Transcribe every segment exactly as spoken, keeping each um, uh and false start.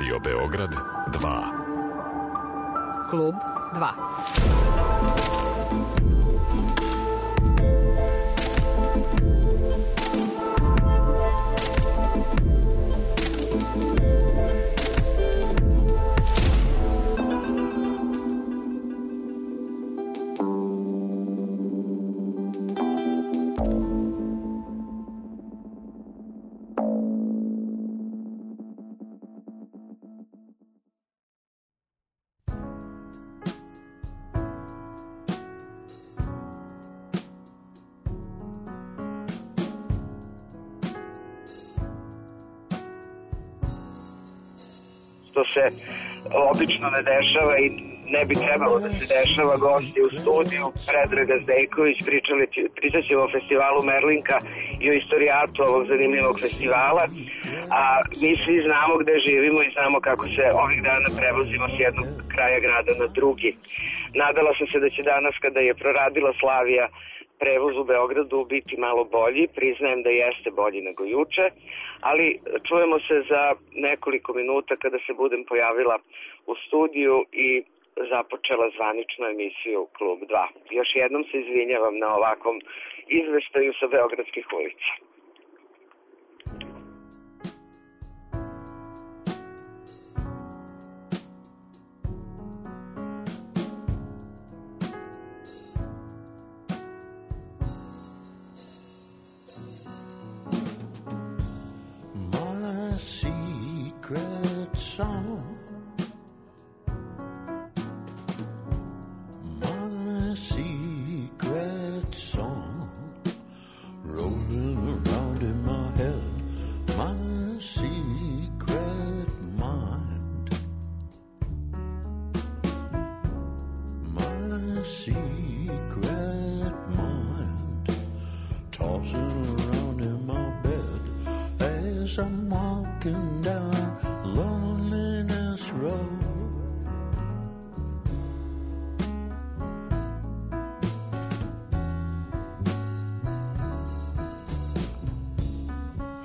Radio Beograd dva. Klub dva. To se obično ne dešava i ne bi trebalo da se dešava. Gosti u studiju, Predraga Zdejković, pričali, pričat ćemo o festivalu Merlinka i o istorijatu ovog zanimljivog festivala, a mi svi znamo gde živimo i znamo kako se ovih dana prevozimo s jednog kraja grada na drugi. Nadala sam se da će danas, kada je proradila Slavija, prevoz u Beogradu biti malo bolji, priznajem da jeste bolji nego juče, ali čujemo se za nekoliko minuta kada se budem pojavila u studiju i započela zvaničnu emisiju Klub dva. Još jednom se izvinjavam na ovakvom izveštaju sa beogradskih ulica. Secret song, my secret song, rolling around in my head, my secret mind, my secret mind, tossing around in my bed as I'm walking down loneliness road.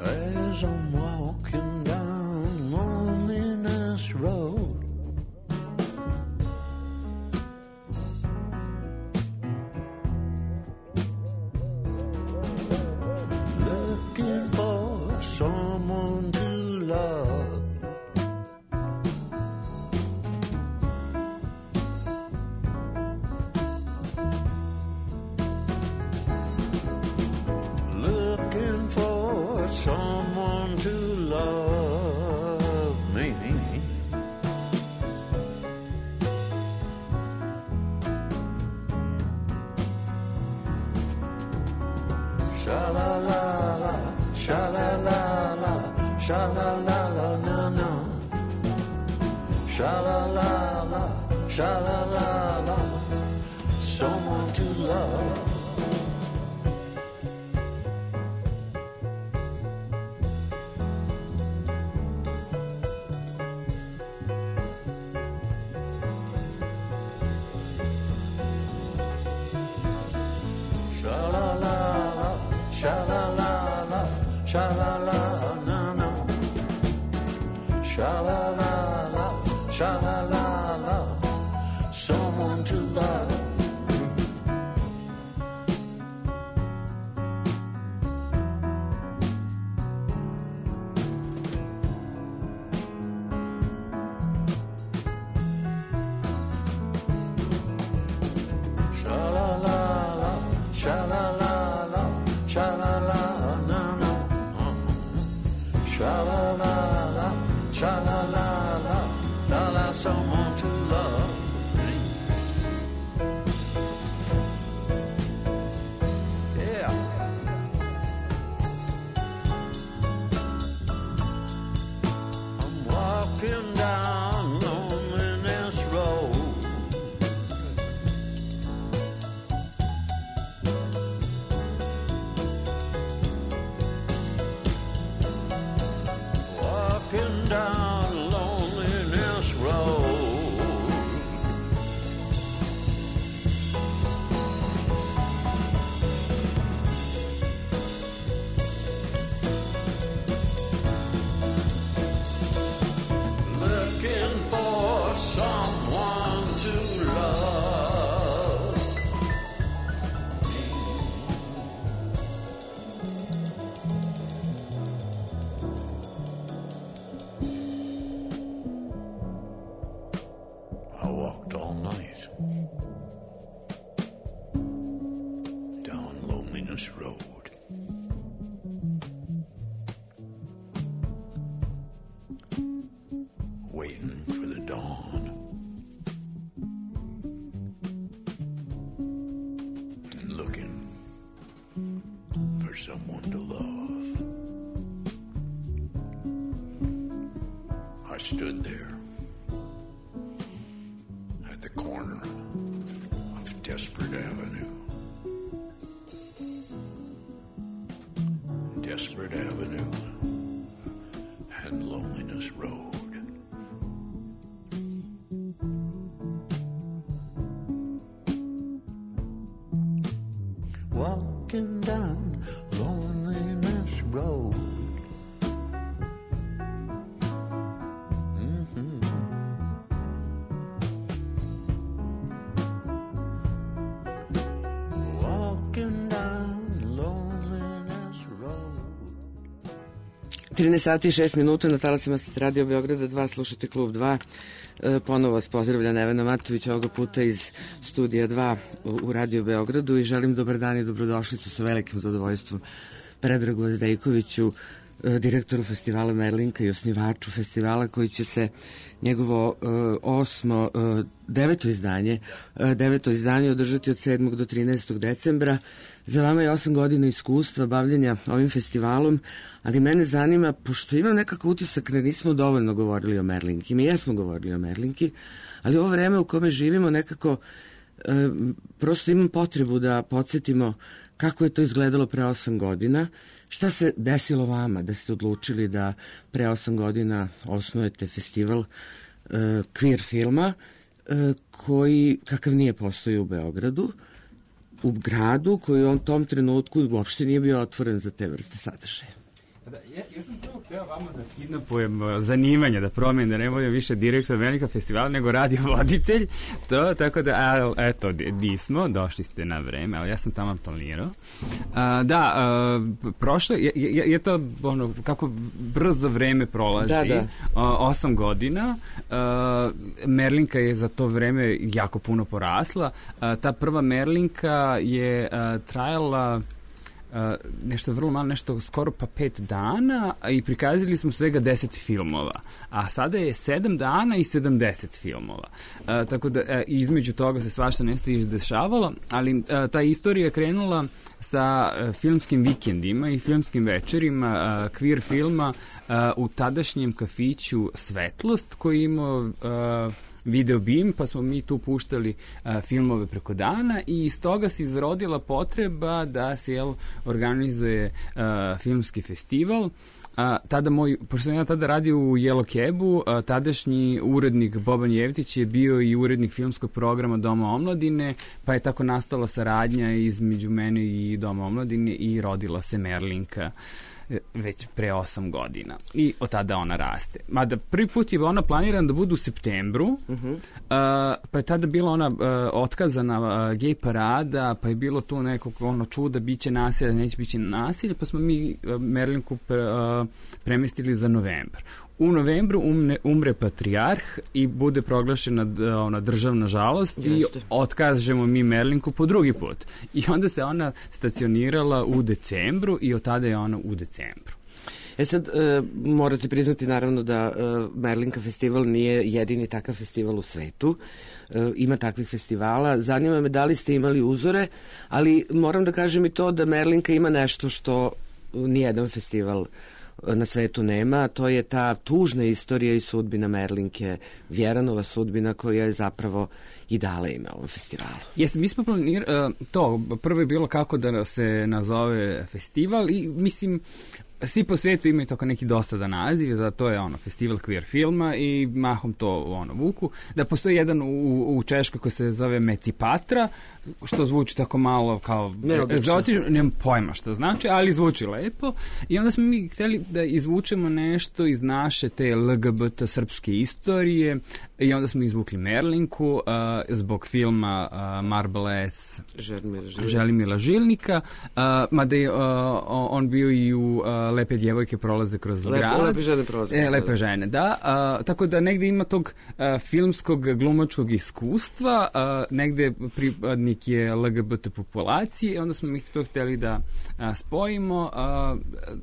As I'm walking down loneliness road, looking for someone to love, looking for someone to love me. Sha-la-la-la, sha-la-la-la, sha-la-la-la, no-no. Sha-la-la-la, sha-la-la-la, someone to love. Sha-la-la-la, sha-la-la-la, sha-la-la, no-no. Sha-la-la-la, sha-la-la-la, someone to love. Sha-la-la-la, sha-la-la-la, sha-la-la, no-no. Sha-la-la-la, sha-la-la-la, la-la, someone someone to love. I stood there at the corner of Desperate Avenue. Desperate Avenue and Loneliness Road. Walking down Loneliness Road. Mm-hmm. Walking down Loneliness Road. trinaest sati i šest minuta na talasima Radio Beograda dva, slušate Klub dva. E, ponovo vas pozdravlja Nevena Matović, ovoga puta iz Studija dva u, u Radio Beogradu i želim dobar dan i dobrodošlicu sa velikim zadovoljstvom Predragu Azdejkoviću, e, direktoru festivala Merlinka i osnivaču festivala koji će se njegovo e, osmo, e, deveto izdanje, e, deveto izdanje održati od sedmog do trinaestog decembra. Za vama je osam godina iskustva bavljenja ovim festivalom, ali mene zanima, pošto imam nekako utisak da nismo dovoljno govorili o Merlinki. Mi jesmo govorili o Merlinki, ali ovo vreme u kome živimo nekako e, prosto imam potrebu da podsjetimo kako je to izgledalo pre osam godina. Šta se desilo vama da ste odlučili da pre osam godina osnujete festival e, queer filma e, koji, kakav nije postoji u Beogradu, u gradu koji u tom trenutku uopšte nije bio otvoren za te vrste sadržaja. Da, ja, ja sam prvo hteo vama da kidnapujem zanimanje, da promenim, da ne budem više direktor Merlinka festivala, nego radiovoditelj, to, tako da, a, eto, di smo, došli ste na vreme, ali ja sam tamo planirao. A, da, a, prošlo, je, je, je to, ono, kako brzo vreme prolazi, da, da. A, osam godina, a, Merlinka je za to vreme jako puno porasla, a, ta prva Merlinka je a, trajala Uh, nešto vrlo malo, nešto skoro pa pet dana i prikazali smo svega deset filmova, a sada je sedam dana i sedamdeset filmova. Uh, tako da uh, između toga se svašta nešto izdešavalo, ali uh, ta istorija je krenula sa uh, filmskim vikendima i filmskim večerima uh, queer filma uh, u tadašnjem kafiću Svetlost koji imao uh, video bim, pa smo mi tu puštali a, filmove preko dana i iz toga se izrodila potreba da se jel, organizuje a, filmski festival. A, tada moj, pošto sam ja tada radio u Yellow Cabu, a, tadašnji urednik Boban Jevtić je bio i urednik filmskog programa Doma omladine, pa je tako nastala saradnja između mene i Doma omladine i rodila se Merlinka već pre osam godina. I od tada ona raste. Mada prvi put je ona planirana da bude u septembru, uh-huh. uh, pa je tada bila ona uh, otkazana uh, gej parada, pa je bilo tu nekog ono čuda, bit će nasilja, neće biti nasilja, pa smo mi uh, Merlinku pre, uh, premestili za novembar. U novembru umne, umre patrijarh i bude proglašena ona državna žalost. Jeste. I otkažemo mi Merlinku po drugi put. I onda se ona stacionirala u decembru i od tada je ona u decembru. E sad, e, morate priznati naravno da e, Merlinka festival nije jedini takav festival u svetu. E, ima takvih festivala. Zanima me da li ste imali uzore, ali moram da kažem i to da Merlinka ima nešto što nijedan festival na svetu nema, to je ta tužna istorija i sudbina Merlinke, Vjeranova sudbina koja je zapravo i dala ime ovom festivalu. Jesi, mi smo planirali to, prvo je bilo kako da se nazove festival i mislim svi po svijetu imaju tako neki dosadan naziv, da to je ono festival queer filma i mahom to ono vuku. Da postoji jedan u, u Češkoj koji se zove Mecipatra, što zvuči tako malo kao egzotično, nemam pojma što znači, ali zvuči lepo. I onda smo mi htjeli da izvučemo nešto iz naše te L G B T srpske istorije i onda smo izvukli Merlinku uh, zbog filma uh, Marble S. Želimira Žilnika, Želimira Žilnika uh, mada je uh, on bio i u uh, lepe djevojke prolaze kroz Lepe, grad. lepe žene prolaze. E, lepe žene, da. A, tako da negde ima tog a, filmskog glumačkog iskustva, a, negde pripadnik je L G B T populacije, onda smo mi to hteli da a, spojimo. A,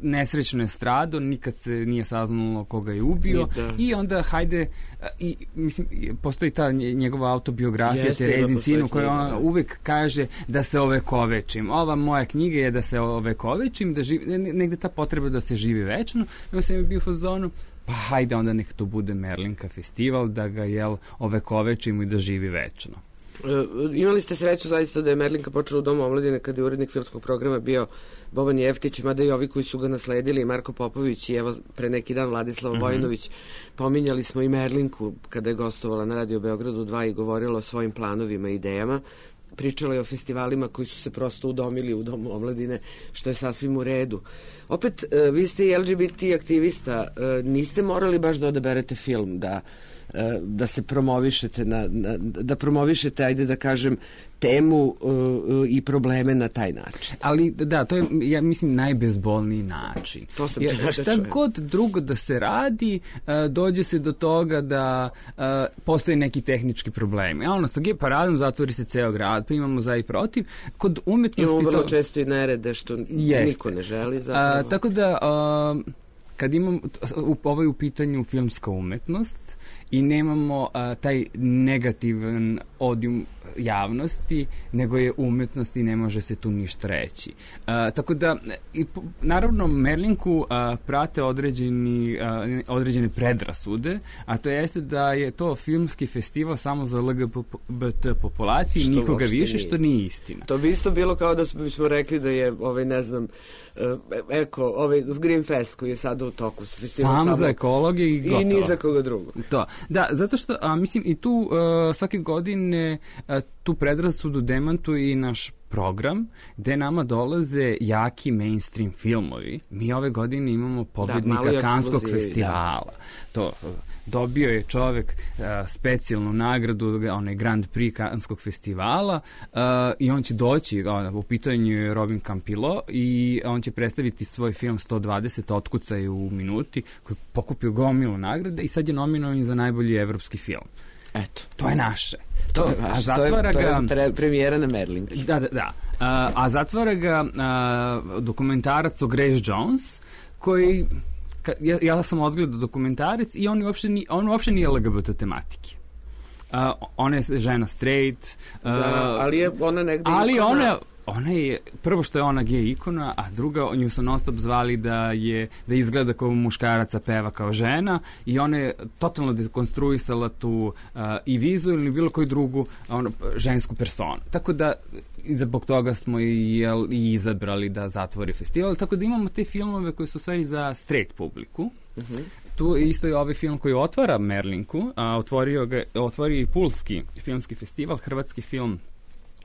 nesrećno je strado, nikad se nije saznalo koga je ubio Da. i onda hajde, a, i, mislim, postoji ta njegova autobiografija Jeste, Terezin ima sinu, postoji koja knjiga, on da. uvek kaže da se ovekovečim. Ova moja knjiga je da se ovekovečim, da živi, negde ta potreba da se živi večno. Ja sam je bio u fazonu, pa hajde onda nek to bude Merlinka festival, da ga jel ovekovečimo i da živi večno. E, imali ste sreću zaista da je Merlinka počela u Domu omladine kada je urednik filmskog programa bio Boban Jeftić, mada i ovi koji su ga nasledili, Marko Popović i evo pre neki dan Vladislav mm-hmm. Vojinović. Pominjali smo i Merlinku kada je gostovala na Radio Beogradu dva i govorila o svojim planovima i idejama. Pričala je o festivalima koji su se prosto udomili u Domu omladine, što je sasvim u redu. Opet, vi ste i L G B T aktivista, niste morali baš da odaberete film, da, da se promovišete, na, na, da promovišete, ajde da kažem, temu uh, i probleme na taj način. Ali da, to je, ja mislim, najbezbolniji način. To sam Jer, da šta čujem. god drugo da se radi, uh, dođe se do toga da uh, postoje neki tehnički problemi. A ono, sa G paradom zatvori se ceo grad, pa imamo za i protiv. Kod umetnosti... Imamo vrlo to... često i nerede, što Jest. niko ne želi. Zapravo. Uh, tako da... Uh, kad imamo u, ovaj u pitanju filmska umetnost i nemamo a, taj negativan odijum javnosti, nego je umetnost i ne može se tu ništa reći. A, tako da, i, naravno, Merlinku a, prate određeni, a, određene predrasude, a to jeste da je to filmski festival samo za L G B T populaciju i nikoga više, nije. Što nije istina. To bi isto bilo kao da bismo rekli da je, ovaj, ne znam, eko, ovaj Green Fest koji je sada u toku. Sam, samo za ekologe i gotovo. I ni za koga drugog. To. Da, zato što, a, mislim, i tu uh, svake godine uh, tu predrasudu demantuje i naš program, gde nama dolaze jaki mainstream filmovi. Mi ove godine imamo pobednika da, Kanskog festivala. Da. To, dobio je čovek uh, specijalnu nagradu, onaj Grand Prix Kanskog festivala uh, i on će doći, uh, u pitanju je Robin Campillo i on će predstaviti svoj film sto dvadeset otkucaj u minuti, koji je pokupio gomilu nagrade i sad je nominovan za najbolji evropski film. Eto. To je naše. To, to je vaš, a zatvara to je, to je pre, premijera na Merlinki. Da, da, da. A, a zatvara ga a, dokumentarac o Grace Jones, koji, ka, ja, ja sam odgledao dokumentarac i on uopšte, ni, on uopšte nije L G B T tematike. Uh, ona je žena straight. Uh, da, ali je ona negde ali ikona. Ona, ona je, prvo što je ona gej ikona, a druga, nju su non stop zvali da je, da izgleda kao muškaraca, peva kao žena i ona je totalno dekonstruisala tu uh, i vizualnu ili bilo koju drugu ono, žensku personu. Tako da zbog toga smo i, jel, i izabrali da zatvori festival. Tako da imamo te filmove koji su sve za straight publiku. Uh-huh. Tu isto je ovaj film koji otvara Merlinku, a otvorio ga, otvorio i Pulski filmski festival, hrvatski film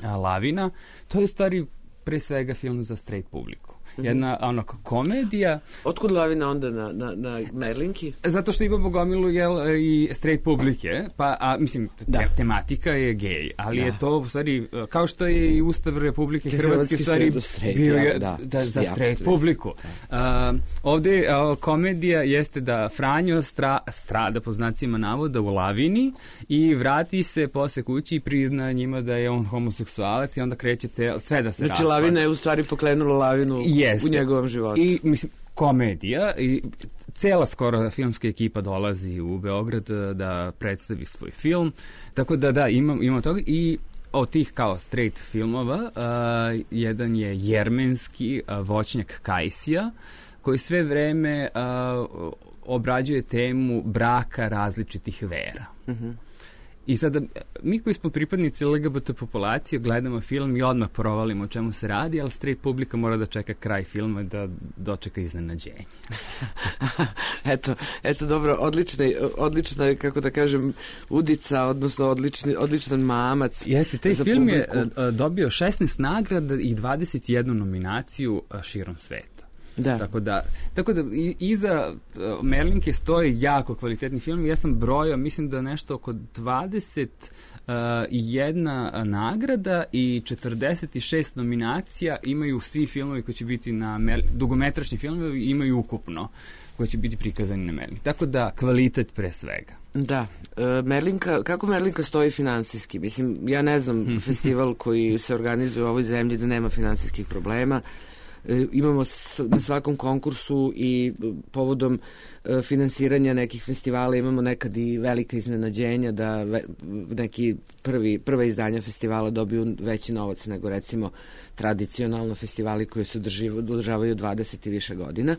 a, Lavina. To je u stvari pre svega film za straight publiku. Jedna ono komedija. Otkud Lavina onda na, na, na Merlinki? Zato što imamo gomilu jel, i straight publike, pa, a, mislim, te, tematika je gej, ali da. Je to u stvari, kao što je i Ustav Republike Hrvatske u stvari bio je da, da, za straight publiku. A, ovde a, komedija jeste da Franjo stra, strada po znacima navoda u Lavini i vrati se posle kući i prizna njima da je on homoseksualac i onda kreće cel, sve da se znači, raspada. Znači Lavina je u stvari pokrenula Lavinu Jeste. U njegovom životu. I, mislim, komedija i cela skoro filmska ekipa dolazi u Beograd da predstavi svoj film. Tako da, da, imam, imam toga i od tih kao straight filmova uh, jedan je jermenski uh, voćnjak Kajsija, koji sve vreme uh, obrađuje temu braka različitih vera. Mhm. I sada, mi koji smo pripadnici L G B T populacije gledamo film i odmah provalimo o čemu se radi, ali straight publika mora da čeka kraj filma da dočeka iznenađenje. eto, eto dobro, odlična, odlična je, kako da kažem, udica, odnosno odlični, odličan mamac. Jeste, taj film publiku. Je dobio šesnaest nagrada i dvadeset jednu nominaciju širom sveta. Da. Tako da, tako da i, iza uh, Merlinke stoji jako kvalitetni film. Ja sam brojao, mislim da nešto oko dvadeset jedna nagrada i četrdeset šest nominacija imaju svi filmovi koji će biti na Mer... dugometražni filmovi imaju ukupno koji će biti prikazani na Merlinku. Tako da, kvalitet pre svega. Da. E, Merlinka, kako Merlinka stoji finansijski? Mislim, ja ne znam festival koji se organizuje u ovoj zemlji da nema finansijskih problema. E, imamo s, na svakom konkursu i povodom e, finansiranja nekih festivala imamo nekad i velika iznenađenja da ve, neki prvi, prva izdanja festivala dobiju veći novac nego recimo tradicionalno festivali koji se održavaju dvadeset i više godina.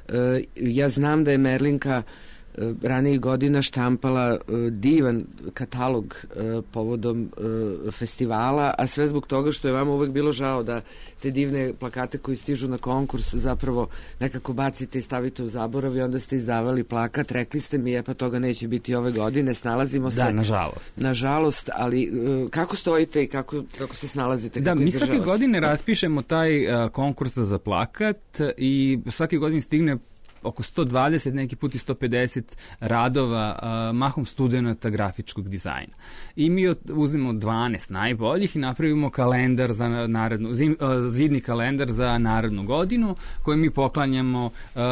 E, ja znam da je Merlinka ranijih godina štampala uh, divan katalog uh, povodom uh, festivala, a sve zbog toga što je vama uvek bilo žao da te divne plakate koji stižu na konkurs zapravo nekako bacite i stavite u zaborav i onda ste izdavali plakat. Rekli ste mi, je pa toga neće biti ove godine, snalazimo se. Da, nažalost. Nažalost, ali uh, kako stojite i kako, kako se snalazite? Da, kako mi svake godine raspišemo taj uh, konkurs za plakat i svake godine stigne oko sto dvadeset, neki put i sto pedeset radova, uh, mahom studenta grafičkog dizajna. I mi uzmemo dvanaest najboljih i napravimo kalendar za narednu, zim, uh, zidni kalendar za narednu godinu koji mi poklanjamo uh,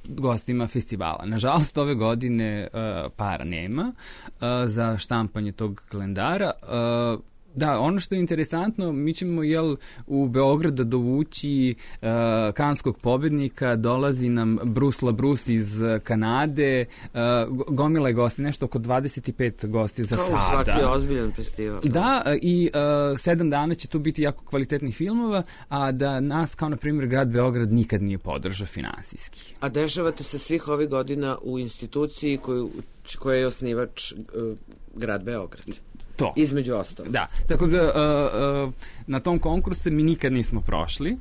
gostima festivala. Nažalost, ove godine uh, para nema uh, za štampanje tog kalendara. Uh, Da, ono što je interesantno, mi ćemo jel, u Beograd da dovući uh, kanskog pobednika, dolazi nam Bruce LaBruce iz Kanade, uh, gomila je gosti, nešto oko dvadeset pet gosti za Kao sada. Kao svaki ozbiljan festival. Da, i uh, sedam dana će tu biti jako kvalitetnih filmova, a da nas, kao na primjer grad Beograd, nikad nije podržao finansijski. A dešavate se svih ovih godina u instituciji koju, koja je osnivač uh, grad Beograd. To. Između ostalo. Da, tako da uh, uh, na tom konkursu mi nikad nismo prošli. Uh,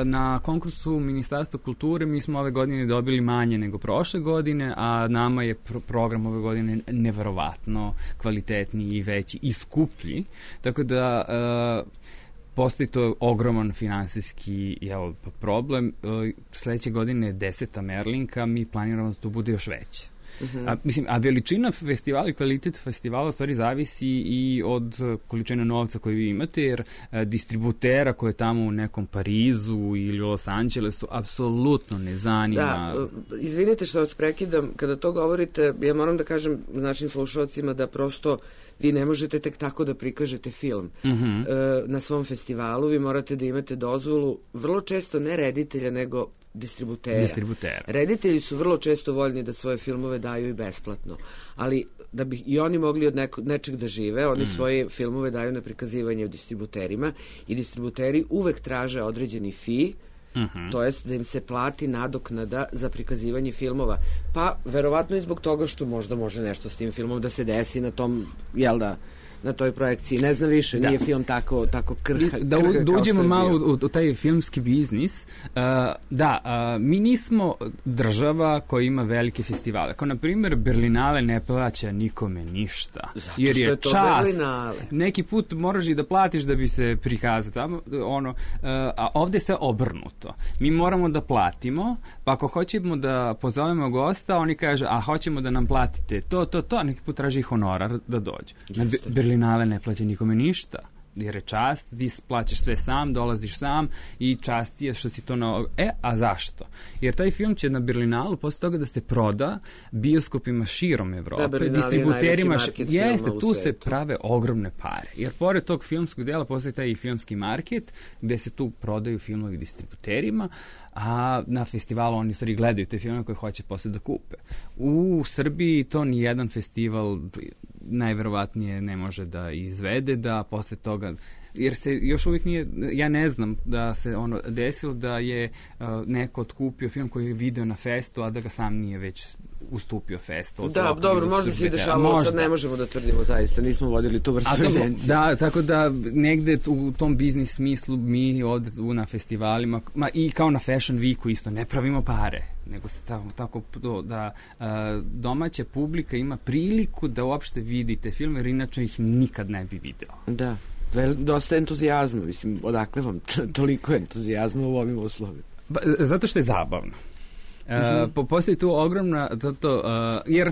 na konkursu Ministarstva kulture mi smo ove godine dobili manje nego prošle godine, a nama je pro- program ove godine neverovatno kvalitetniji i veći i skuplji. Tako da uh, postoji to ogroman finansijski jel, problem. Uh, sledeće godine je deseta Merlinka, mi planiramo da to bude još veće. Uh-huh. A, mislim, a veličina festivala i kvalitet festivala u stvari zavisi i od količine novca koju vi imate, jer a, distributera koje je tamo u nekom Parizu ili Los Angelesu apsolutno ne zanima. Da, izvinite što vas prekidam, kada to govorite, ja moram da kažem našim slušalcima da prosto vi ne možete tek tako da prikažete film uh-huh. e, na svom festivalu, vi morate da imate dozvolu, vrlo često ne reditelja, nego distributera. Distributera. Reditelji su vrlo često voljni da svoje filmove daju i besplatno, ali da bi i oni mogli od neko, nečeg da žive, oni mm. svoje filmove daju na prikazivanje u distributerima i distributeri uvek traže određeni fee, uh-huh. to jest da im se plati nadoknada za prikazivanje filmova. Pa, verovatno i zbog toga što možda može nešto s tim filmom da se desi na tom, jel da, na toj projekciji. Ne znam više, da. Nije film tako, tako krha, da, krha da uđemo malo u, u taj filmski biznis. Uh, da, uh, mi nismo država koja ima velike festivale. Kao, na primjer, Berlinale ne plaća nikome ništa. Zato jer je, je to čas. Berlinale. Neki put moraš i da platiš da bi se prikazao tamo. Ono, uh, a ovde se obrnuto. Mi moramo da platimo, pa ako hoćemo da pozovemo gosta, oni kaže, a hoćemo da nam platite to, to, to, a neki put traži honorar da dođe. Na Berlinale ne plaća nikome ništa, jer je čast, ti plaćaš sve sam, dolaziš sam i čast je što si to na... E, a zašto? Jer taj film će na Berlinalu posle toga da se proda bioskopima širom Evrope, da, distributerima, jeste, tu se prave ogromne pare. Jer pored tog filmskog dela postoji taj i filmski market, gde se tu prodaju filmovi distributerima, a na festivalu oni stvari gledaju te filme koje hoće posle da kupe. U Srbiji to ni jedan festival najverovatnije ne može da izvede, da posle toga, jer se još uvijek nije, ja ne znam da se ono desilo da je uh, neko otkupio film koji je video na festu, a da ga sam nije već ustupio festu. Da, dobro, možda se i dešavalo, sad ne možemo da tvrdimo zaista, nismo vodili tu vrstu evidencije. Da, tako da negde u tom biznis smislu mi od, na festivalima, ma i kao na Fashion Weeku isto, ne pravimo pare, nego se tako, tako da uh, domaća publika ima priliku da uopšte vidite film, jer inače ih nikad ne bi video. Da. Vel, dosta entuzijazma, mislim, odakle vam toliko entuzijazma u ovim uslovima? Ba, zato što je zabavno. Uh, mm-hmm. po, postoji tu ogromna, zato, uh, jer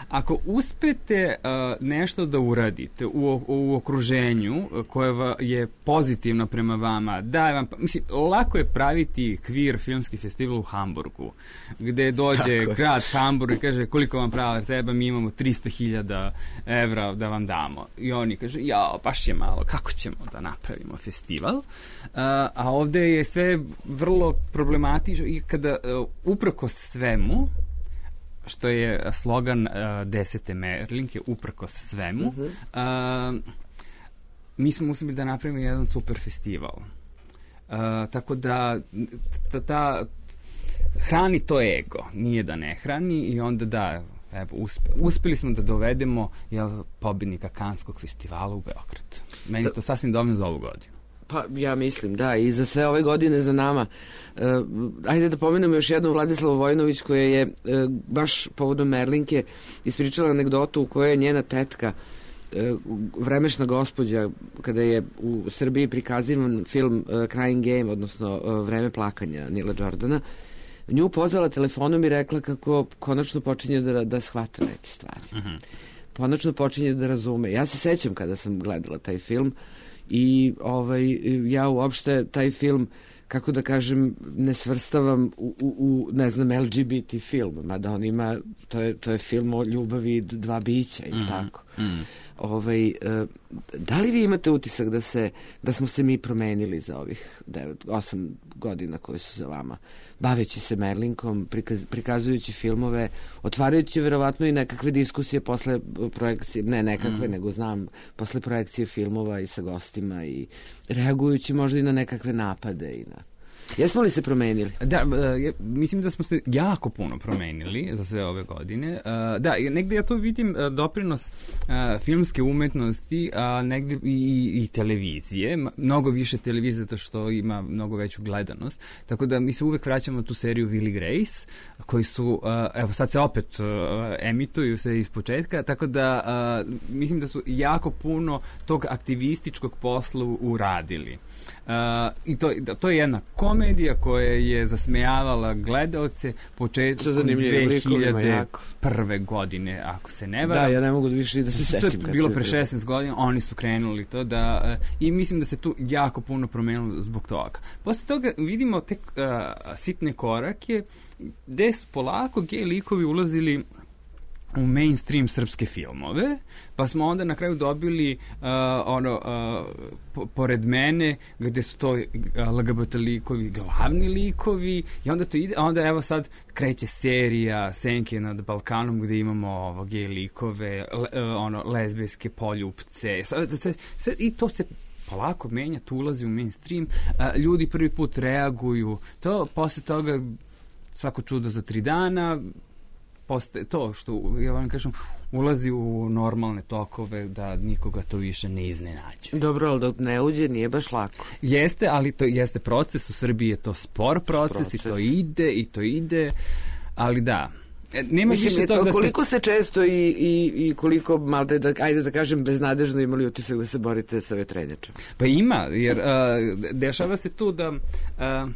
ako uspete uh, nešto da uradite u, u okruženju koje je pozitivno prema vama, da vam, mislim, lako je praviti kvir filmski festival u Hamburgu, gde dođe Tako. grad Hamburg i kaže koliko vam prava treba, mi imamo trista hiljada evra da vam damo. I oni kaže, jao, baš je malo, kako ćemo da napravimo festival? Uh, a ovde je sve vrlo problematično i kada uh, uprkos svemu, što je slogan uh, desete Merlinke, uprkos svemu, uh-huh. uh, mi smo uspeli da napravimo jedan super festival. Uh, tako da ta, ta hrani to ego, nije da ne hrani i onda da, evo, uspe, uspeli smo da dovedemo jel, pobednika Kanskog festivala u Beograd. Meni da. to sasvim dovoljno za ovu godinu. Pa ja mislim, da, i za sve ove godine za nama. E, ajde da pomenemo još jednu Vladislavu Vojinović koja je e, baš povodom Merlinke ispričala anegdotu u kojoj je njena tetka, e, vremešna gospođa, kada je u Srbiji prikazivan film e, Crying Game, odnosno e, Vreme plakanja Nila Jordana, nju pozvala telefonom i rekla kako konačno počinje da, da shvata neke stvari. Uh-huh. Konačno počinje da razume. Ja se sećam kada sam gledala taj film i ovaj, ja uopšte taj film, kako da kažem, ne svrstavam u, u, u ne znam, L G B T film, mada on ima, to je, to je film o ljubavi dva bića i mm, tako. Mm. Ovaj, da li vi imate utisak da se, da smo se mi promenili za ovih devet, osam godina koje su za vama, baveći se Merlinkom, prikaz, prikazujući filmove, otvarajući verovatno i nekakve diskusije posle projekcije, ne nekakve, mm. nego znam, posle projekcije filmova i sa gostima i reagujući možda i na nekakve napade i na... Jesmo li se promenili? Da, uh, mislim da smo se jako puno promenili za sve ove godine. Uh, da, negde ja to vidim uh, doprinos uh, filmske umetnosti, a uh, negde i, i televizije. Mnogo više televizije zato što ima mnogo veću gledanost. Tako da mi se uvek vraćamo na tu seriju Will i Grace, koji su, uh, evo sad se opet uh, emituju se iz početka, tako da uh, mislim da su jako puno tog aktivističkog posla uradili. Uh, i to, to je jedna komedija koja je zasmejavala gledaoce početkom dve hiljade prve godine, ako se ne varam. Da, ja ne mogu da više da se setim. To je bilo pre šesnaest godina, oni su krenuli to da, uh, i mislim da se tu jako puno promenilo zbog toga. Posle toga vidimo tek uh, sitne korake gde su polako gej likovi ulazili u mainstream srpske filmove, pa smo onda na kraju dobili uh, ono, uh, po, pored mene, gde su to uh, L G B T likovi, glavni likovi, i onda to ide, a onda evo sad kreće serija Senke nad Balkanom, gde imamo ovo, gej likove, le, uh, ono, lezbijske poljupce, sad, sad, sad, i to se polako menja, tu ulazi u mainstream, uh, ljudi prvi put reaguju, to posle toga svako čudo za tri dana, postaje to što, ja vam kažem, ulazi u normalne tokove da nikoga to više ne iznenađuje. Dobro, ali da ne uđe nije baš lako. Jeste, ali to jeste proces, u Srbiji je to spor proces, proces. i to ide, i to ide, ali da. Nema Mislim, više toga da se... Koliko ste često i, i, i koliko, malo da, ajde da kažem, beznadežno imali utisak da se borite sa vetrenjačom? Pa ima, jer uh, dešava se tu da... Uh,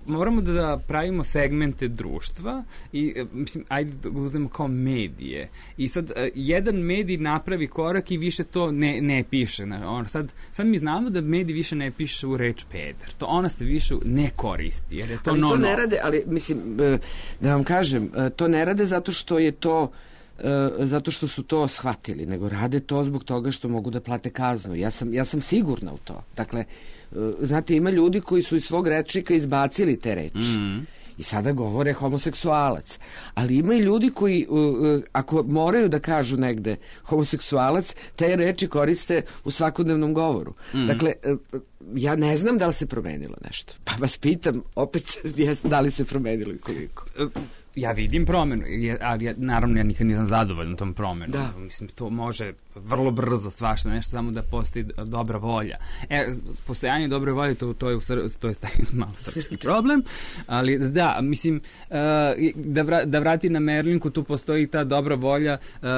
moramo da pravimo segmente društva i, mislim, ajde da uzmemo kao medije. I sad, uh, jedan medij napravi korak i više to ne, ne piše. On, sad, sad mi znamo da medij više ne piše u reč peder. To ona se više ne koristi, jer je to ali no, to ne no. rade, ali, mislim, da vam kažem, to ne rade zato što je to zato što su to shvatili, nego rade to zbog toga što mogu da plate kaznu. Ja sam, ja sam sigurna u to. Dakle, znate, ima ljudi koji su iz svog rečnika izbacili te reči. Mm. I sada govore homoseksualac. Ali ima i ljudi koji, ako moraju da kažu negde homoseksualac, te reči koriste u svakodnevnom govoru. Mm. Dakle, ja ne znam da li se promenilo nešto. Pa vas pitam, opet, da li se promenilo i koliko? ja vidim promenu, ali ja, naravno ja nikad nisam zadovoljan tom promenom. Da. Mislim, to može vrlo brzo svašta, nešto samo da postoji dobra volja. E, postojanje dobre volje, to, to je, u Sr- to je taj malo srpski problem, ali da, mislim, uh, da, vra, da vrati na Merlinku, tu postoji ta dobra volja uh,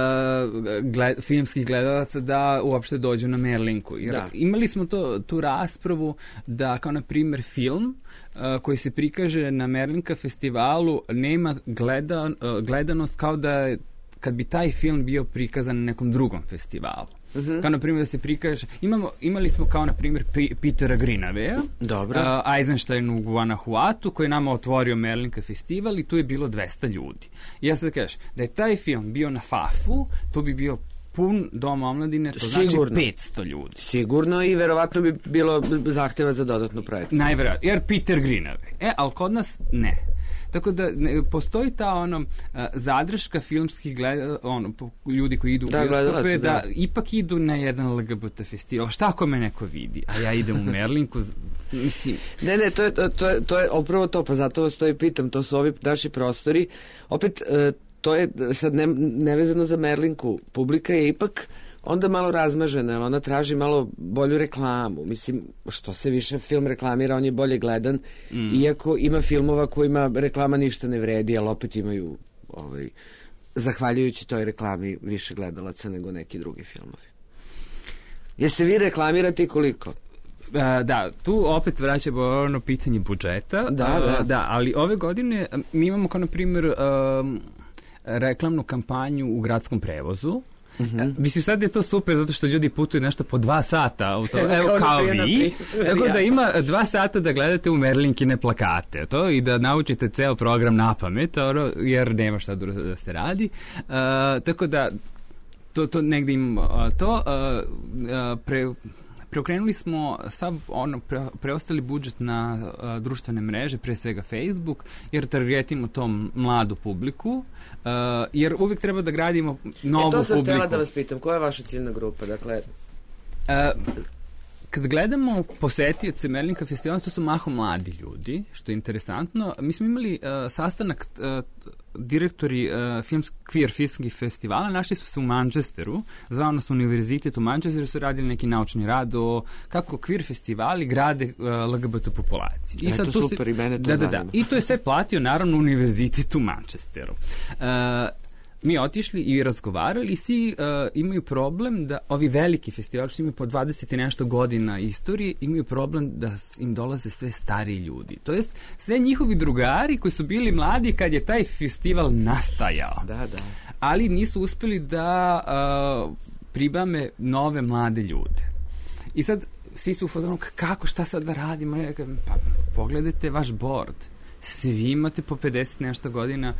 gled, filmskih gledalaca da uopšte dođu na Merlinku. Jer da. Imali smo to, tu raspravu da, kao na primjer, film uh, koji se prikaže na Merlinka festivalu nema gleda, uh, gledanost kao da kad bi taj film bio prikazan na nekom drugom festivalu. Uh-huh. Kao na primjer da se prikaže, imamo, imali smo kao na primjer P- Petera Greenaweya, Dobro. Uh, Eisenstein u Guanajuatu koji je nama otvorio Merlinka festival i tu je bilo dvesta ljudi. I ja sad kažem, da je taj film bio na Fafu, to bi bio pun dom omladine, to Sigurno. znači petsto ljudi. Sigurno i verovatno bi bilo zahteva za dodatnu projekciju. Najverovatno, jer Peter Greenaway. E, ali kod nas ne. Tako da ne, postoji ta ono uh, zadrška filmskih gleda, ono, ljudi koji idu u da, bioskope, da, da ipak idu na jedan L G B T festival. Šta ako me neko vidi? A ja idem u Merlinku, mislim... Ne, ne, to je, to je, to je upravo to, pa zato vas to i pitam, to su ovi naši prostori. Opet, uh, to je sad ne, nevezano za Merlinku. Publika je ipak onda malo razmažena, jer ona traži malo bolju reklamu. Mislim, što se više film reklamira, on je bolje gledan, mm. iako ima filmova kojima reklama ništa ne vredi, ali opet imaju, ovaj, zahvaljujući toj reklami, više gledalaca nego neki drugi filmovi. Jeste vi reklamirate koliko? Uh, da, tu opet vraćamo ono pitanje budžeta. Da, da. Uh, da, ali ove godine mi imamo kao na primjer um, reklamnu kampanju u gradskom prevozu. Mm-hmm. Mislim, sad je to super zato što ljudi putuju nešto po dva sata u to, evo, evo kao vi, tako da ima dva sata da gledate u Merlinkine plakate to, i da naučite ceo program na pamet, ono, jer nema šta da se radi, uh, tako da to, to negdje im uh, to uh, uh, pre preokrenuli smo sav ono pre, preostali budžet na uh, društvene mreže, pre svega Facebook, jer targetimo tom mladu publiku, uh, jer uvijek treba da gradimo novu publiku. E, to sam htjela da vas pitam, koja je vaša ciljna grupa? Dakle, uh, kad gledamo posetioce Merlinka festivala, to su mahom mladi ljudi, što je interesantno. Mi smo imali uh, sastanak uh, direktori uh, filmsk, queer filmskih festivala, našli smo se u Manchesteru, zvao nas univerzitet u Manchesteru, su radili neki naučni rad o kako queer festivali grade uh, L G B T populaciju. I e, sad to super, se, i mene to da, da, da. I to je sve platio, naravno, univerzitet u Manchesteru. Uh, mi otišli i razgovarali i svi uh, imaju problem da ovi veliki festivali što imaju po dvadeset i nešto godina istorije imaju problem da im dolaze sve stariji ljudi. To jest sve njihovi drugari koji su bili mladi kad je taj festival nastajao. Da, da. Ali nisu uspeli da uh, pribame nove mlade ljude. I sad svi su u fazonu kako, šta sad da radimo? Pa pogledajte vaš board. Svi imate po pedeset nešto godina,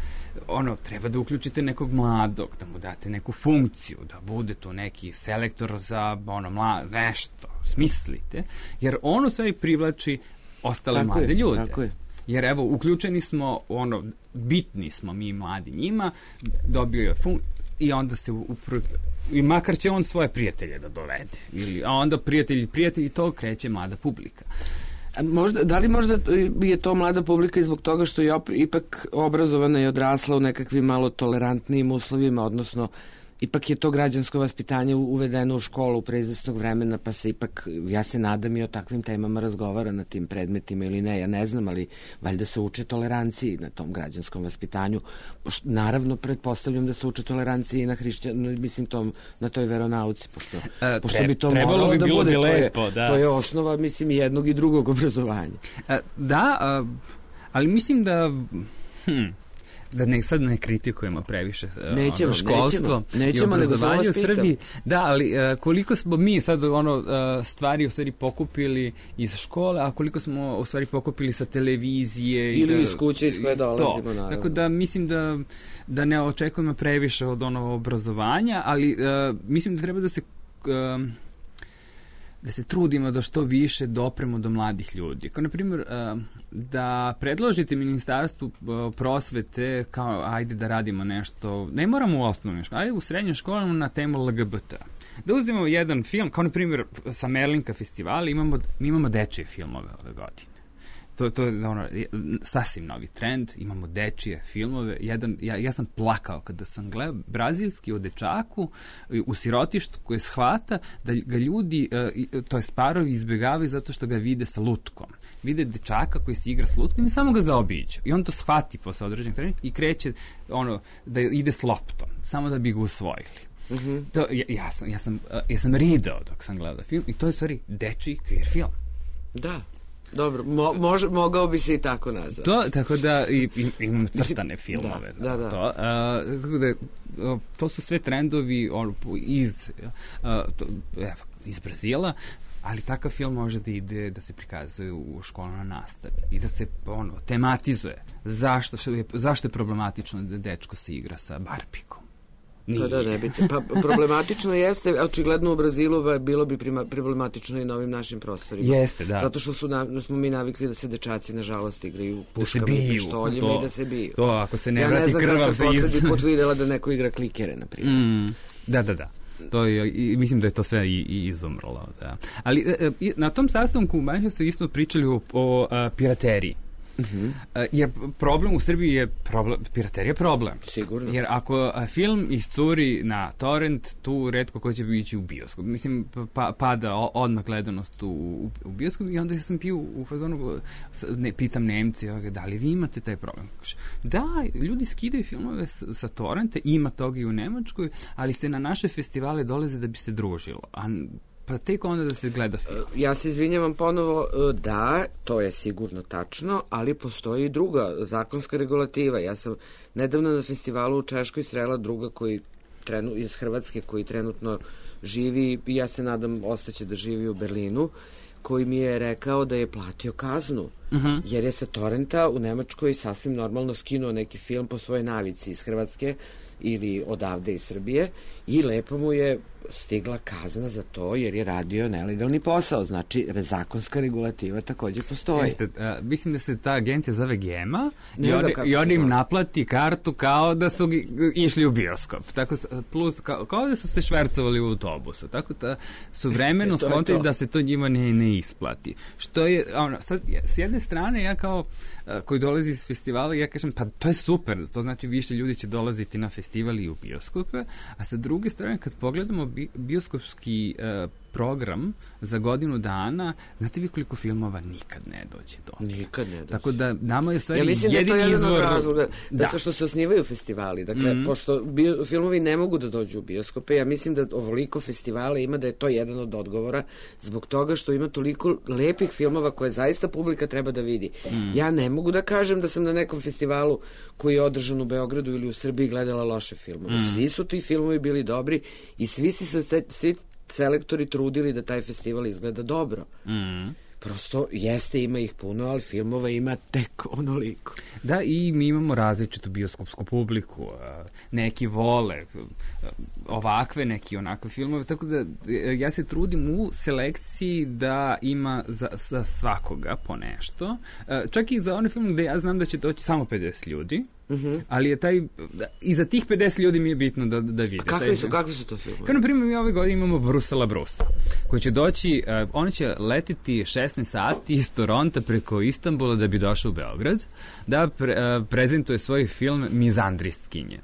ono, treba da uključite nekog mladog, da mu date neku funkciju, da bude to neki selektor za, ono, mlad, nešto, smislite, jer on u stvari privlači ostale tako mlade je, ljude. Tako je. Jer evo, uključeni smo, ono, bitni smo mi mladi njima, dobio je funkciju, i onda se upro... i makar će on svoje prijatelje da dovede, ili, a onda prijatelji, prijatelji, to kreće mlada publika. Možda, da li možda je to mlada publika i zbog toga što je op, ipak obrazovana i odrasla u nekakvim malo tolerantnijim uslovima, odnosno ipak je to građansko vaspitanje uvedeno u školu pre izvesnog vremena, pa se ipak, ja se nadam, i o takvim temama razgovara na tim predmetima ili ne, ja ne znam, ali valjda se uče toleranciji na tom građanskom vaspitanju. Naravno, pretpostavljam da se uče toleranciji i na hrišćanu, mislim, tom, na toj veronauci, pošto, e, pošto tre, bi to moralo bi da bude, bi lepo, to, je, da. to je osnova, mislim, i jednog i drugog obrazovanja. E, da, a, ali mislim da... Hm, da ne, sad ne kritikujemo previše nećemo, ono, školstvo nećemo, nećemo, i obrazovanje u Srbiji. Da, ali uh, koliko smo mi sad ono, uh, stvari u stvari pokupili iz škole, a koliko smo u stvari pokupili sa televizije. Ili i da, iz kuće iz koje dolazimo, naravno. Tako da mislim da, da ne očekujemo previše od onog obrazovanja, ali uh, mislim da treba da se... Uh, da se trudimo da što više dopremo do mladih ljudi. Kao, na primjer, da predložite ministarstvu prosvete kao, ajde da radimo nešto, ne moramo u osnovnoj školi, ajde u srednjoj školama na temu L G B T. Da uzmemo jedan film, kao na primjer sa Merlinka festivala, imamo, mi imamo dečje filmove ove godine. to, to je ono, sasvim novi trend, imamo dečije filmove, jedan, ja, ja sam plakao kada sam gledao brazilski o dečaku u sirotištu koje shvata da ga ljudi, to je parovi izbjegavaju zato što ga vide sa lutkom. Vide dečaka koji se igra s lutkom i samo ga zaobiđu. I on to shvati posle određenog trenutka i kreće ono, da ide s loptom, samo da bi ga usvojili. Mm-hmm. To, ja, ja, sam, ja, sam, ja sam ridao dok sam gledao film i to je stvari dečiji queer film. Da. Dobro, mo, može, mogao bi se i tako nazvati. To, tako da i, i, imam crtane filmove. Da, da, da. To, a, tako da, to su sve trendovi on, iz, a, to, evo, iz Brazila, ali takav film može da ide, da se prikazuje u školnoj nastavi i da se ono, tematizuje. Zašto, što je, zašto je problematično da dečko se igra sa Barbikom? Nije. Pa da, ne biti. Pa problematično jeste, očigledno u Brazilu bilo bi prima, problematično i na ovim našim prostorima. Jeste, da. Zato što su na, smo mi navikli da se dečaci nažalost igraju puškama i pištoljima i da se biju. To, ako se ne ja vrati krvav se iz... Ja ne znam kada sam poslednji put videla da neko igra klikere, na primjer. Mm, da, da, da. To je, i mislim da je to sve i, i izumrlo. Da. Ali e, na tom sastanku u Manchesteru isto pričali o, o a, pirateriji. Uh-huh. Jer problem u Srbiji je problem, piraterija je problem. Sigurno. Jer ako film iscuri na torrent, tu retko ko će ići u bioskop. Mislim, pa, pada odmah gledanost u, u, u bioskop i onda sam pio u fazonu, ne, pitam Nemci, da li vi imate taj problem? Da, ljudi skidaju filmove sa, sa torrenta, ima toga i u Nemačkoj, ali se na naše festivale dolaze da bi se družilo. A pa tek onda da se gleda film. Ja se izvinjavam ponovo, da, to je sigurno tačno, ali postoji i druga zakonska regulativa. Ja sam nedavno na festivalu u Češkoj srela druga koji trenu, iz Hrvatske koji trenutno živi, i ja se nadam ostaće da živi u Berlinu, koji mi je rekao da je platio kaznu, uh-huh. jer je sa torrenta u Nemačkoj sasvim normalno skinuo neki film po svojoj navici iz Hrvatske ili odavde iz Srbije i lepo mu je stigla kazna za to jer je radio nelegalni posao. Znači, zakonska regulativa također postoji. Jeste, a, mislim da se ta agencija zove Gema i on, i on im naplati kartu kao da su išli u bioskop. Tako, plus, kao, kao da su se švercovali u autobusu. Tako da su vremeno skontali da se to njima ne, ne isplati. Što je, ono, sad, s jedne strane, ja kao a, koji dolazi iz festivala, ja kažem, pa to je super. To znači više ljudi će dolaziti na festival i u bioskope, a sa druge strane, kad pogledamo bioskopski uh, program za godinu dana, znate vi koliko filmova nikad ne dođe do? Nikad ne dođe. Tako da nama je stvari ja mislim jedini da je to jedan izvor... od razloga, da, da sa što se osnivaju festivali. Dakle, mm-hmm. pošto bio, filmovi ne mogu da dođu u bioskope, ja mislim da ovoliko festivala ima da je to jedan od odgovora zbog toga što ima toliko lepih filmova koje zaista publika treba da vidi. Mm. Ja ne mogu da kažem da sam na nekom festivalu koji je održan u Beogradu ili u Srbiji gledala loše filmove. Mm. Svi su ti filmovi bili dobri i svi si se svi selektori trudili da taj festival izgleda dobro. Mm. Prosto jeste, ima ih puno, ali filmova ima tek onoliko. Da, i mi imamo različitu bioskopsku publiku. Neki vole ovakve, neki onakve filmove, tako da ja se trudim u selekciji da ima za, za svakoga po nešto. Čak i za one filme gde ja znam da će doći samo pedeset ljudi, uh-huh. ali je taj, i za tih pedeset ljudi mi je bitno da, da vide. A kakvi su, kakvi su to filmove? Kao na primjer mi ove godine imamo Brusela Brusa, koji će doći, uh, on će letiti šesnaest sati iz Toronta preko Istanbula da bi došao u Beograd, da pre, uh, prezentuje svoj film Mizandristkinje.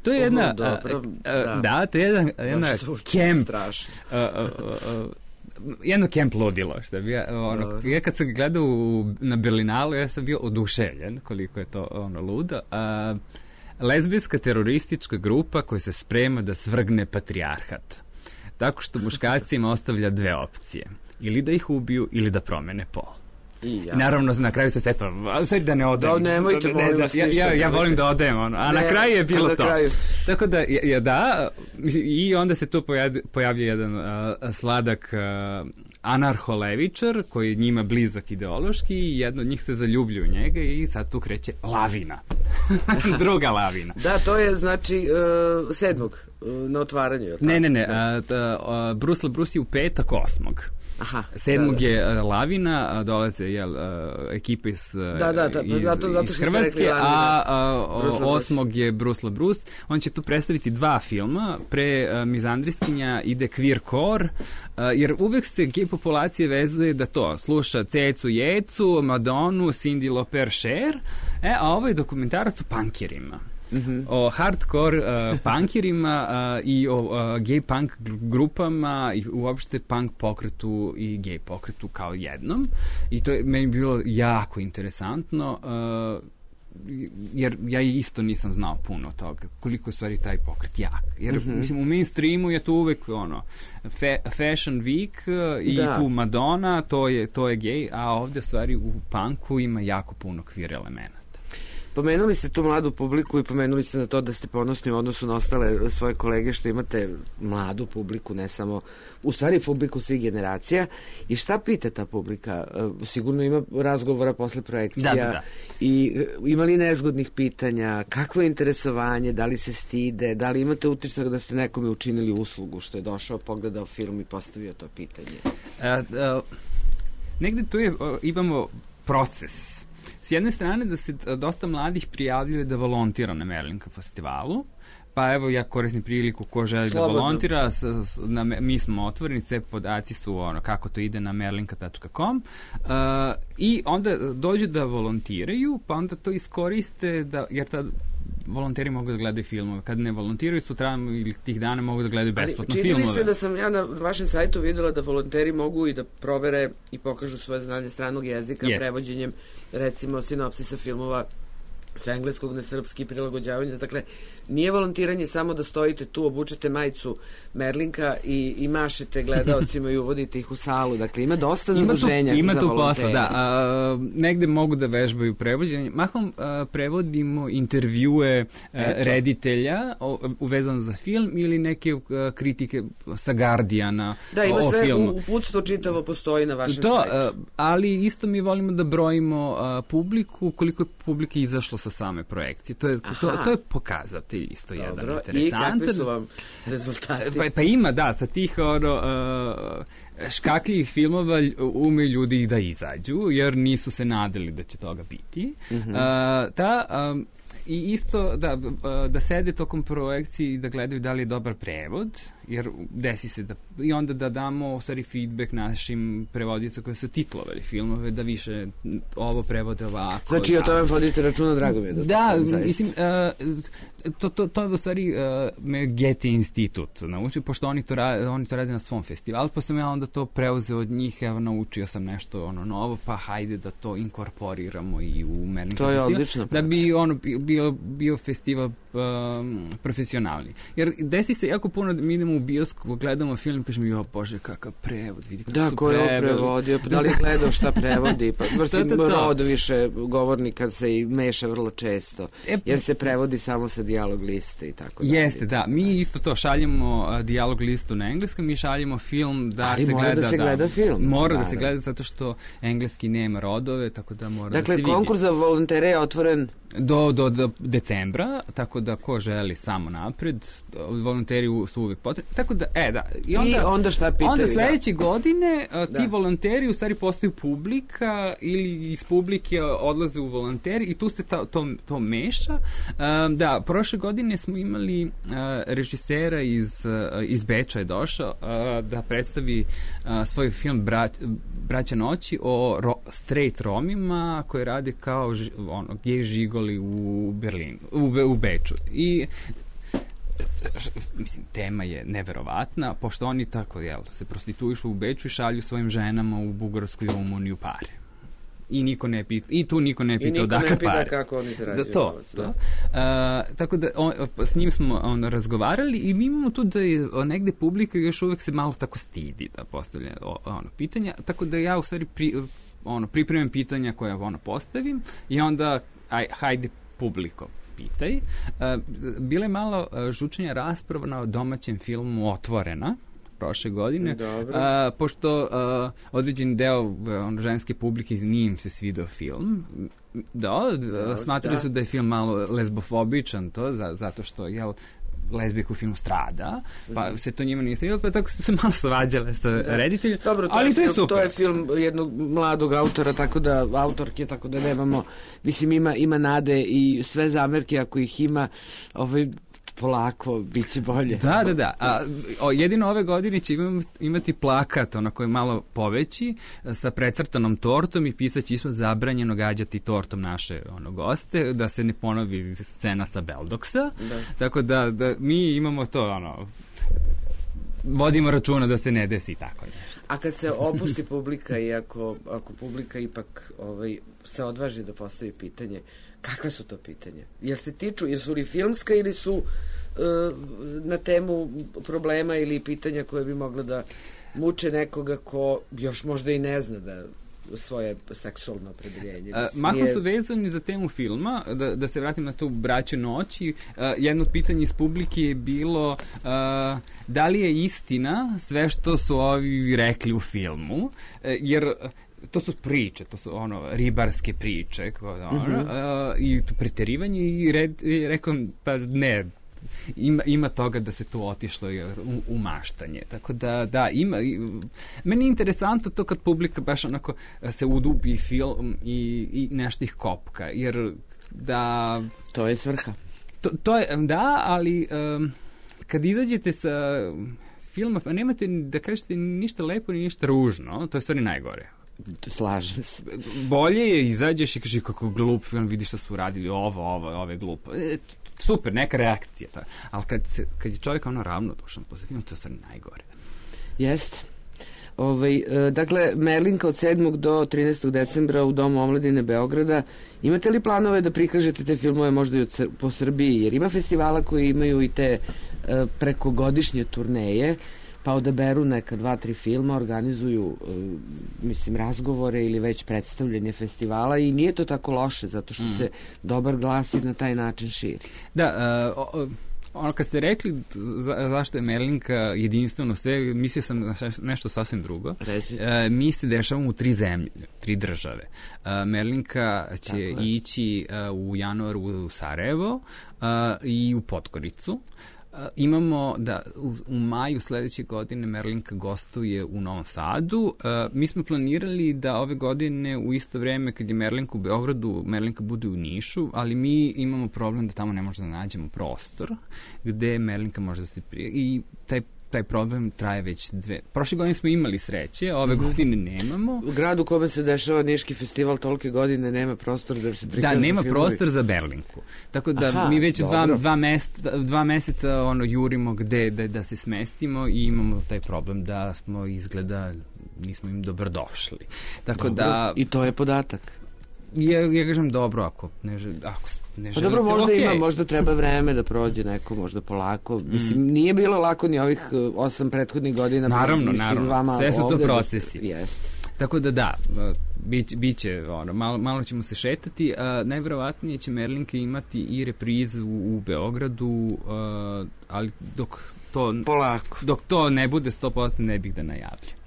To je jedna, uh, dobro, uh, uh, da. da, to je jedna, jedna camp, uh, uh, uh, jedno camp ludilo, što bi ja, ono, ja kad sam gledao u, na Berlinalu, ja sam bio oduševljen koliko je to ono ludo. Uh, lezbijska teroristička grupa koja se sprema da svrgne patrijarhat. Tako što muškarcima ostavlja dve opcije. Ili da ih ubiju, ili da promene pol. I ja. Naravno, na kraju se setva, ali da ne odem. Da, nemojte, ne, molim da, vas ja, ništa. Ja, ja volim da odem, ono, a ne, na kraju je bilo to. Kraju. Tako da, ja, da, i onda se tu pojavlja jedan uh, sladak uh, anarholevičar, koji je njima blizak ideološki, i jedno od njih se zaljublju u njega i sad tu kreće lavina. Druga lavina. Da, to je, znači, uh, sedmog, uh, na otvaranju. Ne, ne, ne, uh, uh, Bruce LaBruce je u petak osmog. Aha, sedmog da, da. je uh, Lavina, a dolaze jel, uh, ekipe iz, uh, da, da, da, iz, zato, zato iz Hrvatske, a, a Bruce osmog je Bruce LaBruce. On će tu predstaviti dva filma, pre uh, Mizandristkinja ide Queer Core, uh, jer uvek se gej populacije vezuje da to sluša Cecu Jecu, Madonu, Cindy Lauper, Cher, e, a ovo je dokumentarac o punkirima. Mm-hmm. O hardcore uh, punkirima uh, i o uh, gay punk grupama i uopšte punk pokretu i gay pokretu kao jednom. I to je meni bilo jako interesantno, uh, jer ja isto nisam znao puno toga, koliko je stvari taj pokret jak. Jer, mm-hmm. mislim, u mainstreamu je to uvek ono, fa Fashion Week uh, i da. Tu Madonna, to je, to je gay, a ovdje stvari u punku ima jako puno queer elemena. Pomenuli ste tu mladu publiku i pomenuli ste na to da ste ponosni u odnosu na ostale svoje kolege što imate mladu publiku, ne samo, u stvari publiku svih generacija. I šta pita ta publika? Sigurno ima razgovora posle projekcija. Da, da, da. I ima li nezgodnih pitanja? Kakvo je interesovanje? Da li se stide? Da li imate utisak da ste nekome učinili uslugu što je došao, pogledao film i postavio to pitanje? Uh, uh, negde tu je, uh, imamo proces. S jedne strane da se dosta mladih prijavljuje da volontira na Merlinka festivalu, pa evo ja koristim priliku ko želi Slobodno. Da volontira, s, s, na, mi smo otvoreni, sve podaci su ono kako to ide na merlinka tačka com uh, i onda dođu da volontiraju, pa onda to iskoriste, da, jer tad volonteri mogu da gledaju filmove. Kad ne volontiraju sutra ili tih dana mogu da gledaju besplatno filmove. Čini mi se da sam ja na vašem sajtu videla da volonteri mogu i da provere i pokažu svoje znanje stranog jezika yes. prevođenjem recimo sinopsisa filmova sa engleskog na srpski, prilagođavanje. Dakle, nije volontiranje samo da stojite tu, obučete majicu Merlinka i, i mašete gledaocima i uvodite ih u salu. Dakle, ima dosta zaduženja ima za tu volontere. Posla, da. A, negde mogu da vežbaju prevođenje. Mahom a, prevodimo intervjue a, reditelja o, uvezano za film ili neke a, kritike sa Guardiana da, ima o, sve, o filmu. uputstvo čitavo postoji na vašem to, sajtu. A, ali isto mi volimo da brojimo a, publiku, koliko je publike izašlo sa same projekcije. To je, to, to je pokazatelj isto Dobro. Jedan interesantan. I kakvi su vam rezultati? Pa, pa ima, da, sa tih ono, uh, škakljivih filmova ume ljudi da izađu, jer nisu se nadali da će toga biti. Mm-hmm. Uh, ta, um, i isto da, da sede tokom projekcije i da gledaju da li je dobar prevod, jer desi se da, i onda da damo stvari feedback našim prevodicama koji su titlovali filmove, da više ovo prevode ovako. Znači, o tome vodite računa, drago mi je. Da, da mislim, uh, to, to, to je u stvari uh, me Getty institut naučio, pošto oni to, rade, oni to rade na svom festivalu, pa sam ja onda to preuzeo od njih, evo, naučio sam nešto ono novo, pa hajde da to inkorporiramo i u Merlinka to je festival, odlično. Da bi ono bio, bio festival um, profesionalni. Jer desi se jako puno da mi idemo u bioskop, gledamo film i kažemo, jo bože, kakav prevod, vidi kako da, su ko je ovo prevodio, da li gledao šta prevodi, pa vrsim rod više govornika se i meša vrlo često, e, jer se prevodi samo sa dijalog liste i tako dalje. Jeste, da, mi isto to šaljemo uh, dijalog listu na engleskom, mi šaljemo film da ali se mora gleda. da se gleda da, film. Mora da se gleda zato što engleski nema rodove, tako da mora dakle, da se vidi. Dakle, konkurs za volontere je otvoren Do, do, do decembra, tako da ko želi samo napred, volonteri su uvijek potrebni. Tako da, e, da. I onda, I onda šta pitaju? Onda sledeće da. godine a, ti da. volonteri u stvari postaju publika ili iz publike odlaze u volonteri i tu se ta, to, to meša. A, da, prošle godine smo imali a, režisera iz, a, iz Beča je došao a, da predstavi a, svoj film Bra, Braća noći o ro, straight Romima koji rade kao ži, ono, gej žigol u Berlinu, u, u Beču. I mislim, tema je neverovatna, pošto oni tako, jel, se prostituišu u Beču i šalju svojim ženama u Bugarsku i Rumuniju pare. I niko ne pita, i tu niko ne pita odakle pare. I niko ne pita kako oni zarađuju. Da, to, to. Uh, tako da on, s njim smo on, razgovarali i mi imamo tu da je negde publika još uvek se malo tako stidi da postavlja ono, pitanja, tako da ja u stvari pri, ono, pripremim pitanja koja ono postavim i onda aj, hajde publiko pitaj. Uh, bila je malo uh, žučnija rasprava na domaćem filmu Otvorena prošle godine, uh, pošto uh, određeni deo uh, on, ženske publike nije im se svidao film. Da, uh, smatrali da. su da je film malo lesbofobičan to, za, zato što jel, lezbijka u filmu strada, pa se to njima nije svidjelo, pa tako su se malo svađale sa da. rediteljima. Dobro, to ali je, to je film, super. To je film jednog mladog autora, tako da autorke, tako da nemamo, mislim, ima, ima nade i sve zamerke, ako ih ima, ovaj, polako, bit će bolje. Da, da, da. A, o, jedino ove godine će imati plakat, onako je malo poveći, sa precrtanom tortom i pisać ispod zabranjeno gađati tortom naše ono, goste, da se ne ponovi scena sa Beldoksa. Da. Tako da, da mi imamo to, ono, vodimo računa da se ne desi tako nešto. A kad se opusti publika i ako, ako publika ipak ovaj, se odvaži da postavi pitanje, kakve su to pitanja? Jel se tiču, jesu li filmska ili su uh, na temu problema ili pitanja koje bi mogla da muče nekoga ko još možda i ne zna da svoje seksualno opredeljenje. Mahom su vezani za temu filma, da, da se vratim na tu Braću noći. Uh, jedno od pitanja iz publike je bilo uh, da li je istina sve što su ovi rekli u filmu, uh, jer to su priče, to su ono ribarske priče, ono, uh-huh. uh, i to preterivanje i, red, i rekao, pa ne, ima, ima toga da se tu otišlo u, u maštanje. Tako da, da, ima, i, meni je interesantno to kad publika baš onako se udubi film i, i nešto ih kopka, jer da... To je svrha. To, to je, da, ali um, kad izađete sa filma, pa nemate da kažete ništa lepo ni ništa ružno, to je stvari najgore. Slažem se. Bolje je izađeš i kaži kako glup film, vidiš šta su radili, ovo, ovo, ovo je glupo. E, super, neka reakcija. Ta. Ali kad, se, kad je čovjek ono ravnodušan posle filmu, to je stvari najgore. Jeste. Ovaj, e, dakle, Merlinka od sedmog do trinaestog decembra u Domu omladine Beograda. Imate li planove da prikažete te filmove možda i od, po Srbiji? Jer ima festivala koji imaju i te e, prekogodišnje turneje, pa odaberu neka dva, tri filma, organizuju, uh, mislim, razgovore ili već predstavljanje festivala i nije to tako loše, zato što mm. se dobar glas i na taj način širi. Da, uh, ono kad ste rekli za, zašto je Merlinka jedinstveno sve, mislio sam na nešto sasvim drugo. Uh, mi se dešavamo u tri zemlje, tri države. Uh, Merlinka će ići uh, u januaru u Sarajevo uh, i u Podgoricu. Uh, imamo da u, u maju sledeće godine Merlinka gostuje u Novom Sadu. Uh, mi smo planirali da ove godine u isto vreme kad je Merlinka u Beogradu, Merlinka bude u Nišu, ali mi imamo problem da tamo ne možemo da nađemo prostor gde Merlinka može da se prije i taj taj problem traje već dve. Prošle godine smo imali sreće, ove godine nemamo. U gradu u kome se dešava Niški festival tolike godine nema prostor da se prikažu. Da, nema filmovi. Prostor za Berlinku. Tako da Aha, mi već dva, dva, meseca, dva meseca ono, jurimo gde da, da se smestimo i imamo taj problem da smo izgleda nismo im dobrodošli. Tako dobro. Da... I to je podatak. Ja, ja kažem dobro, ako ne, žel, ako ne pa želite, dobro, možda okay. ima, možda treba vreme da prođe neko, možda polako. Mm. Mislim, nije bilo lako ni ovih osam prethodnih godina. Naravno, naravno, sve su to procesi. Da, jest. Tako da da, biće, biće ono, malo, malo ćemo se šetati. Uh, najverovatnije će Merlinka imati i reprizu u, u Beogradu, uh, ali dok to, polako. Dok to ne bude sto posto ne bih da najavljam.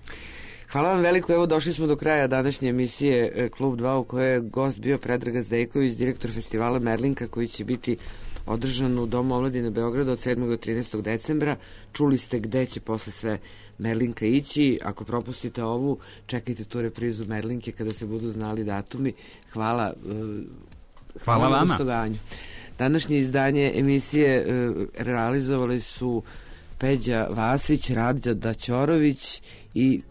Hvala vam veliko, evo došli smo do kraja današnje emisije Klub dva u kojoj je gost bio Predrag Zdejković, direktor festivala Merlinka koji će biti održan u Domu omladine Beograda od sedmog do trinaestog decembra. Čuli ste gde će posle sve Merlinka ići. Ako propustite ovu, čekajte tu reprizu Merlinke kada se budu znali datumi. Hvala. Hvala vama. Gostovanju. Današnje izdanje emisije realizovali su Peđa Vasić, Radja Daćorović i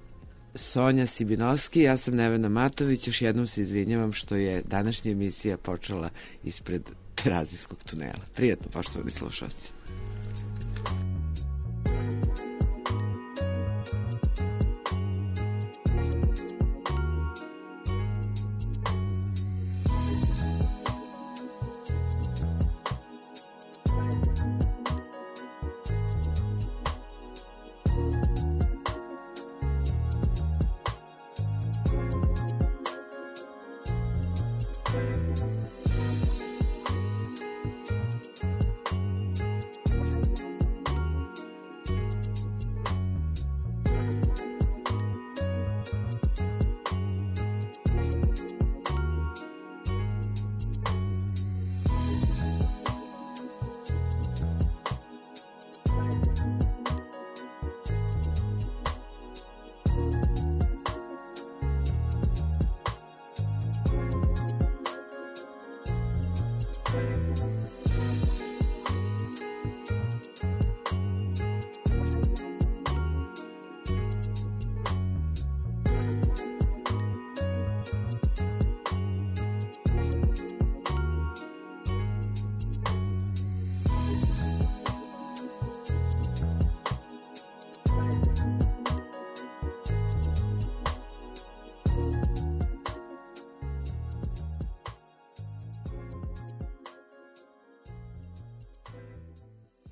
Sonja Sibinovski, ja sam Nevena Matović, još jednom se izvinjavam što je današnja emisija počela ispred Terazijskog tunela. Prijatno, poštovani slušalci.